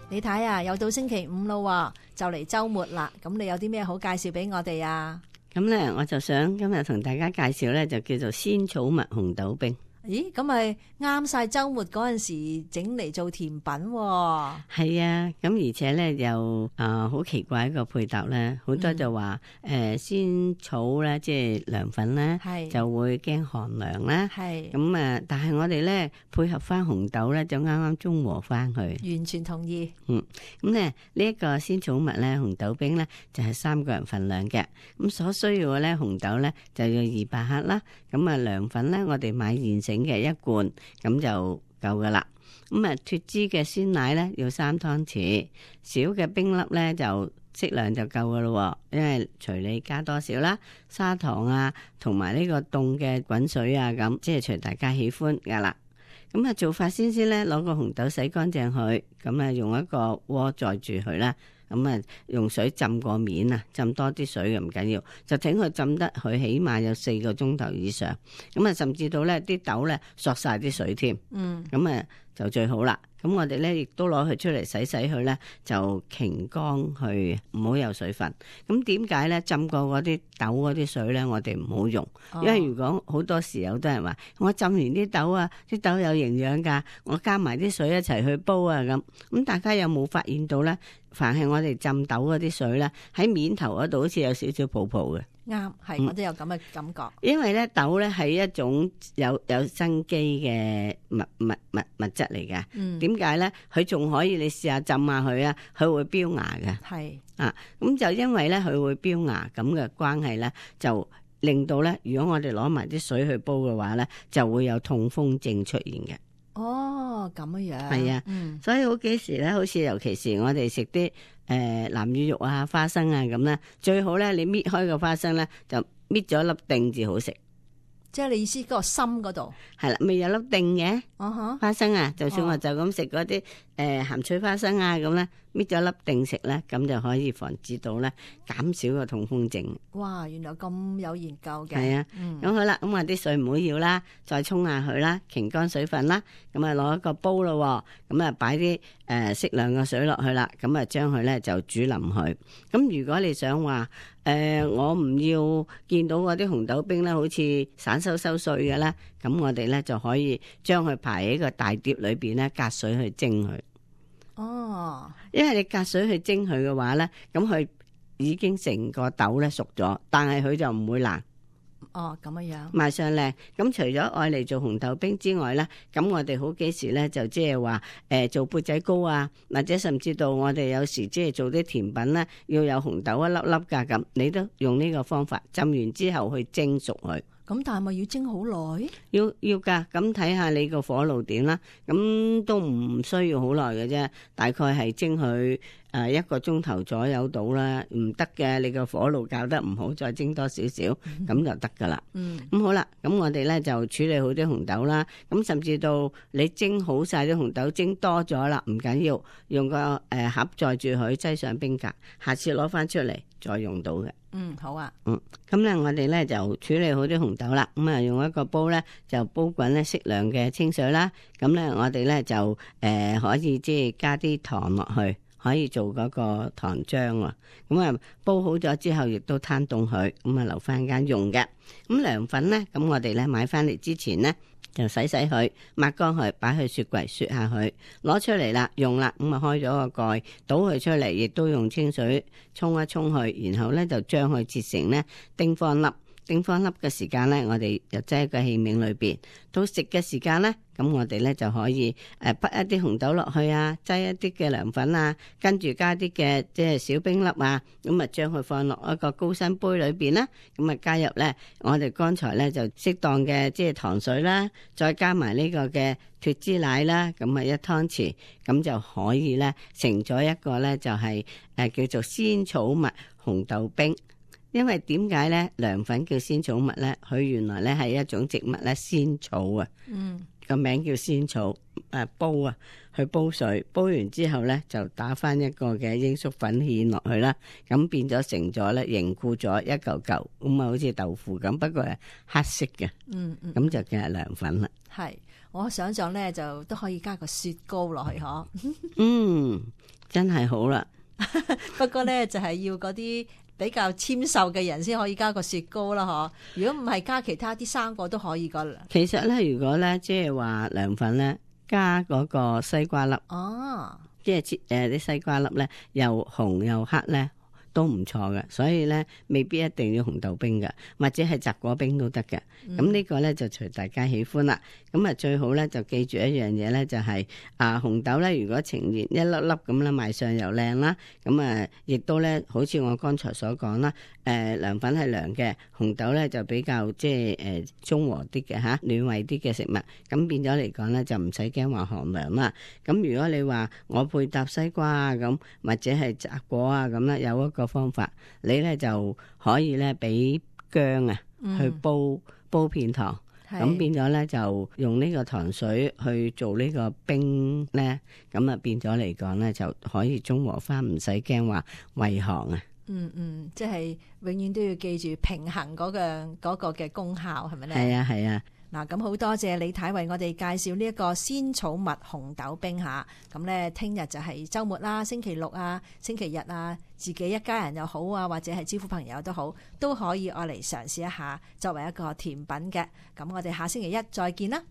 你睇啊，又到星期五咯，就嚟週末啦。咁你有啲咩好介紹俾我哋啊？咁咧，我就想今日同大家介紹咧，就叫做鮮草蜜紅豆冰。咦，咁咪啱晒週末嗰陣時整嚟做甜品喎。係啊，咁而且咧又好奇怪一個配搭咧，好多就話鮮草咧，即係涼粉咧，就會驚寒涼啦。係咁但係我哋咧配合翻紅豆咧，就啱啱中和翻佢。完全同意。咁咧呢一個鮮草蜜咧紅豆冰咧就係3個人份量嘅。咁所需要嘅咧紅豆咧就要200克啦。咁涼粉咧我哋買現成嘅1罐，咁就夠噶啦。咁脫脂嘅鮮奶咧要3湯匙，小嘅冰粒咧就適量就夠噶咯。因為隨你加多少啦，砂糖啊同埋呢個凍嘅滾水啊，咁即係隨大家喜歡噶啦。咁做法先咧，攞個紅豆洗乾淨佢，咁用一個鍋載住佢啦。咁用水浸個面啊，浸多啲水嘅唔緊要，就整佢浸得佢起碼有4個鐘頭以上。咁甚至到咧啲豆咧索晒啲水添。咁就最好啦。咁我哋咧亦都攞佢出嚟洗佢咧，就擎乾去，唔好有水分。咁點解咧浸過嗰啲豆嗰啲水咧，我哋唔好用？因為如果好多時有啲人話我浸完啲豆啊，啲豆有營養㗎，我加埋啲水一齊去煲啊咁大家有冇發現到咧？凡係我哋浸豆嗰啲水咧，喺面頭嗰度好似有少少泡泡嘅。啱，係我都有咁嘅感覺。因為咧豆咧係一種有生機嘅物質嚟嘅。點解咧？佢仲可以你試下浸下佢啊，佢會飆芽嘅。係咁就因為咧佢會飆芽咁嘅關係咧，就令到咧，如果我哋攞埋啲水去煲嘅話咧，就會有痛風症出現嘅。哦，咁樣係啊，所以好幾時咧，好似尤其是我哋食啲南乳肉啊、花生啊咁咧，最好咧你搣開個花生咧，就搣咗粒丁至好食。即係你意思嗰個心嗰度係啦，未有粒丁嘅花生啊，就算我就咁食嗰啲鹹脆花生啊咁咧，搣咗粒丁食咧，咁就可以防止到咧減少個痛風症。哇，原來咁有研究嘅。係啊，咁好啦，咁我啲水唔好要啦，再沖下佢啦，擎乾水分啦，咁攞一個煲咯，咁擺啲適量嘅水落去啦，咁將佢咧就煮腍佢。咁如果你想話我唔要見到嗰啲紅豆冰咧，好似散收碎嘅咧，咁我哋咧就可以將佢排喺個大碟裏邊咧，隔水去蒸佢。哦，因為你隔水去蒸佢嘅話咧，咁佢已經成個豆咧熟咗，但係佢就唔會爛。哦，咁樣賣相靚。咁除咗愛嚟做紅豆冰之外咧，咁我哋好幾時咧就即係話做砵仔糕啊，或者甚至到我哋有時即係做啲甜品咧，要有紅豆一粒粒噶，咁你都用呢個方法浸完之後去蒸熟佢。咁但係咪要蒸好耐？要噶，咁睇下你個火爐點啦。咁都唔需要好耐嘅啫，大概係蒸佢1個鐘頭左右到啦。唔得嘅，你個火爐校得唔好，再蒸多少少，咁就得噶啦。咁好啦，咁我哋咧就處理好啲紅豆啦。咁甚至到你蒸好晒啲紅豆，蒸多咗啦，唔緊要，用個盒載住佢，擠上冰格，下次攞翻出嚟再用到嘅。好啊。咁咧我哋咧就處理好啲紅豆啦。咁用一個煲咧就煲滾咧適量嘅清水啦。咁咧我哋咧就可以即係加啲糖落去，可以做嗰個糖漿啊。咁煲好咗之後，亦都攤凍佢，咁留翻間用嘅。咁涼粉咧，咁我哋咧買翻嚟之前咧，就洗佢，抹乾佢，擺去雪櫃雪下佢，攞出嚟啦，用啦，咁開咗個蓋，倒佢出嚟，亦都用清水沖一沖佢，然後咧就將佢切成咧丁方粒。丁方粒嘅時間咧，我哋就擠喺個器皿裏邊。到食嘅時間咧，咁我哋咧就可以滗一啲紅豆落去啊，擠一啲嘅涼粉啊，跟住加啲嘅即係小冰粒啊，咁將佢放落一個高身杯裏邊啦。咁加入咧，我哋剛才咧就適當嘅即係糖水啦，再加埋呢個嘅脫脂奶啦，咁1湯匙，咁就可以咧成咗一個咧就係叫做鮮草蜜紅豆冰。因為點解咧涼粉叫鮮草蜜咧？佢原來咧係一種植物咧，鮮草啊，個名叫鮮草。煲啊，去煲水，煲完之後咧就打翻一個嘅鷹粟粉芡落去啦，咁變咗成咗咧凝固咗一嚿嚿，咁好似豆腐咁，不過係黑色嘅，咁就叫係涼粉啦。係。我想象咧就都可以加個雪糕落去嗬。真係好啦。不過咧就係要嗰啲比較纖瘦嘅人先可以加個雪糕啦嗬。如果唔係加其他啲生果都可以噶。其實咧，如果咧即係話涼粉咧加嗰個西瓜粒，即係切啲西瓜粒咧又紅又黑咧，都唔錯嘅，所以咧未必一定要紅豆冰嘅，或者係雜果冰都得嘅。咁呢個咧就隨大家喜歡啦。咁啊最好咧就記住一樣嘢咧，就係紅豆咧，如果呈現一粒粒咁啦，賣相又靚啦。咁啊亦都咧，好似我剛才所講啦，涼粉係涼嘅，紅豆咧就比較即係中和啲嘅嚇，暖胃啲嘅食物。咁變咗嚟講咧，就唔使驚話寒涼啦。咁如果你話我配搭西瓜啊咁，或者係雜果啊咁咧，有一個方法，你咧就可以咧俾薑啊去煲片糖，咁變咗咧就用呢個糖水去做呢個冰咧，咁啊變咗嚟講咧就可以中和翻，唔使驚話胃寒啊。即係永遠都要記住平衡嗰個嘅功效，係咪咧？係啊。嗱，咁好多謝李太為我哋介紹呢一個仙草蜜紅豆冰吓。咁咧，聽日就係週末啦，星期六啊、星期日啊，自己一家人又好啊，或者係招呼朋友都好，都可以愛嚟嘗試一下，作為一個甜品嘅。咁我哋下星期一再見啦。